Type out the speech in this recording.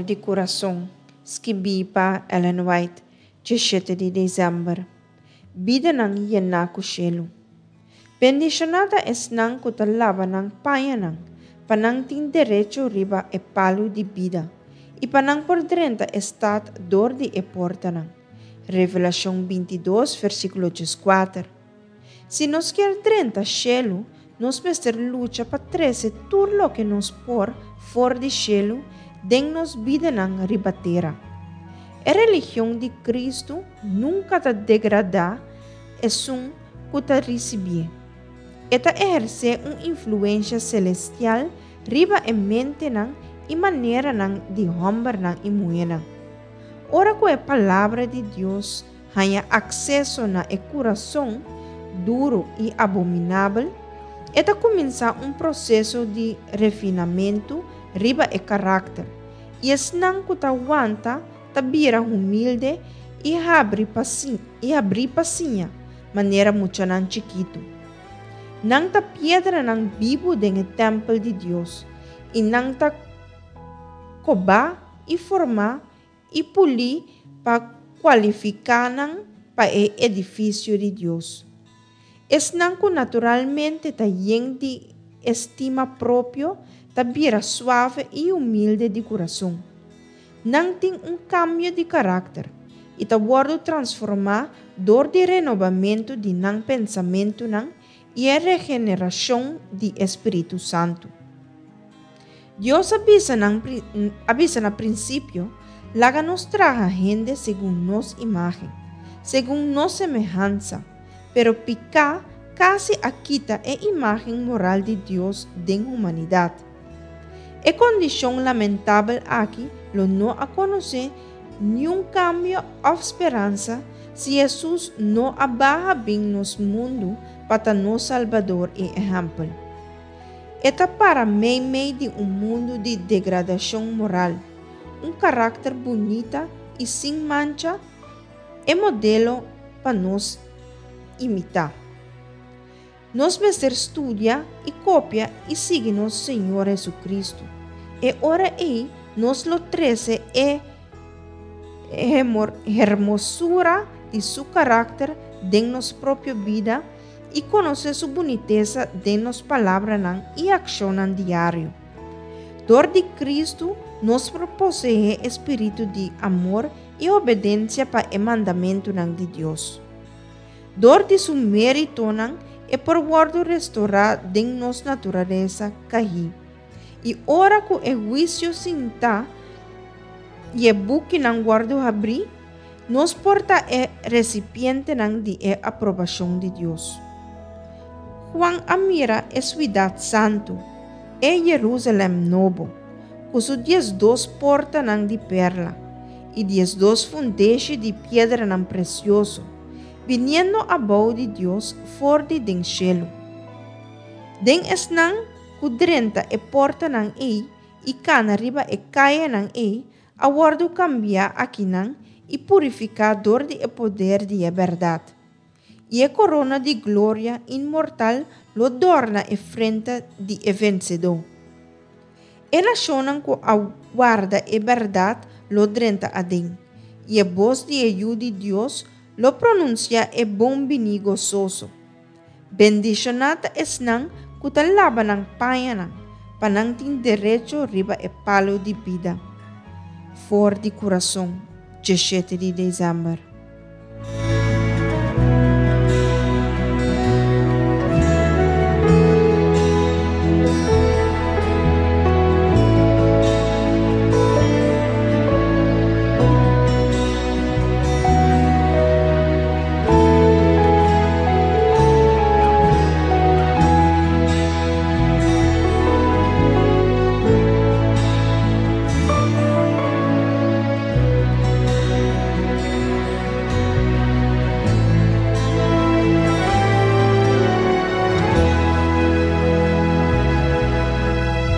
di Kurason, skibí pa Ellen White, 17 di desèmber. Bidanan yená ku shelu. Bendishoná ta esnan ku ta laba nan pañanan, pa nan tin derecho riba e palu di bida, i pa nan por drenta e stat dor di e portanan. Revelashon 22, versíkulo 14. Si nos kier drenta shelu, nos mester lucha pa trese tur loke nos por for di shelu den nos bidanan riba tera. E religion di Kristu nunka ta degradá esun ku ta risibié. E ta ehersé un influensha selestial riba e mentenan i maneranan di hòmbernan i muhénan. Ora ku e Palabra di Dios haña akseso na e kurason duru i abominabel, e ta kuminsá un proseso di refinamentu riba e karakter, i esnan ku ta wanta ta bira humilde i habri pa i habrí pa siña, manera muchanan chikitu. Nan ta piedranan bibu den e tèmpel di Dios, i nan ta kobá i formá i pulí pa kualifiká nan pa e edifisio di Dios. Esnan ku naturalmente ta yen di estima propio ta bira suave i humilde di kurason. Nan tin un kambio di karakter i ta wòrdu transformá dor di renobamentu di nan pensamentunan i e regenerashon di e Spiritu Santu. Dios a bisa nan a bisa na prinsipio, Laga nos traha hende segun nos imágen, segun nos semehansa. Pero piká kasi a kita e imágen moral di Dios den humanidat. E kondishon lamentabel aki lo no a konosé niun kambio òf speransa si Hesus no a baha bin nos mundu pa ta nos Salbador i ehèmpel. E ta para meimei di un mundu di degradashon moral, un karakter bunita i sin mancha, e modelo pa nos imitá. Nos mester studia i kopia i sigui nos Señor Hesukristu. E ora ei nos lo trese e hermosura di su karakter den nos propio bida i konosé su bunitesa den nos palabranan i akshonnan diario. Dor di Kristu nos por poseé e spiritu di amor i obedensia pa e mandamentunan di Dios. Dor di su méritonan e por wòrdu restorá den nos naturalesa kahí. I ora ku e huisio sintá i e bukinan wòrdu habrí, Nos por ta e resipientenan di e aprobashon di Dios. Juan a mira e suidat santu, e Jerusalèm Nobo, ku su 12 portanan di perla i 12 fundeshi di piedranan presioso, biniendo abou di Dios for di den shelu. Den esnan ku drenta e portanan ei i kana riba e kayanan ei a wòrdu kambiá akinan i purifiká dor di e poder di e bèrdat. I e korona di gloria inmortal lo dòrna e frente di e vensedó. E nashonnan ku a warda e bèrdat lo drenta aden, i e bos di e Yu di Dios lo pronunsiá e bon biní gososo. Bendishoná ta esnan ku ta laba nan pañanan, pa nan tin derecho riba e palu di bida. For di kurason, 17 di desèmber.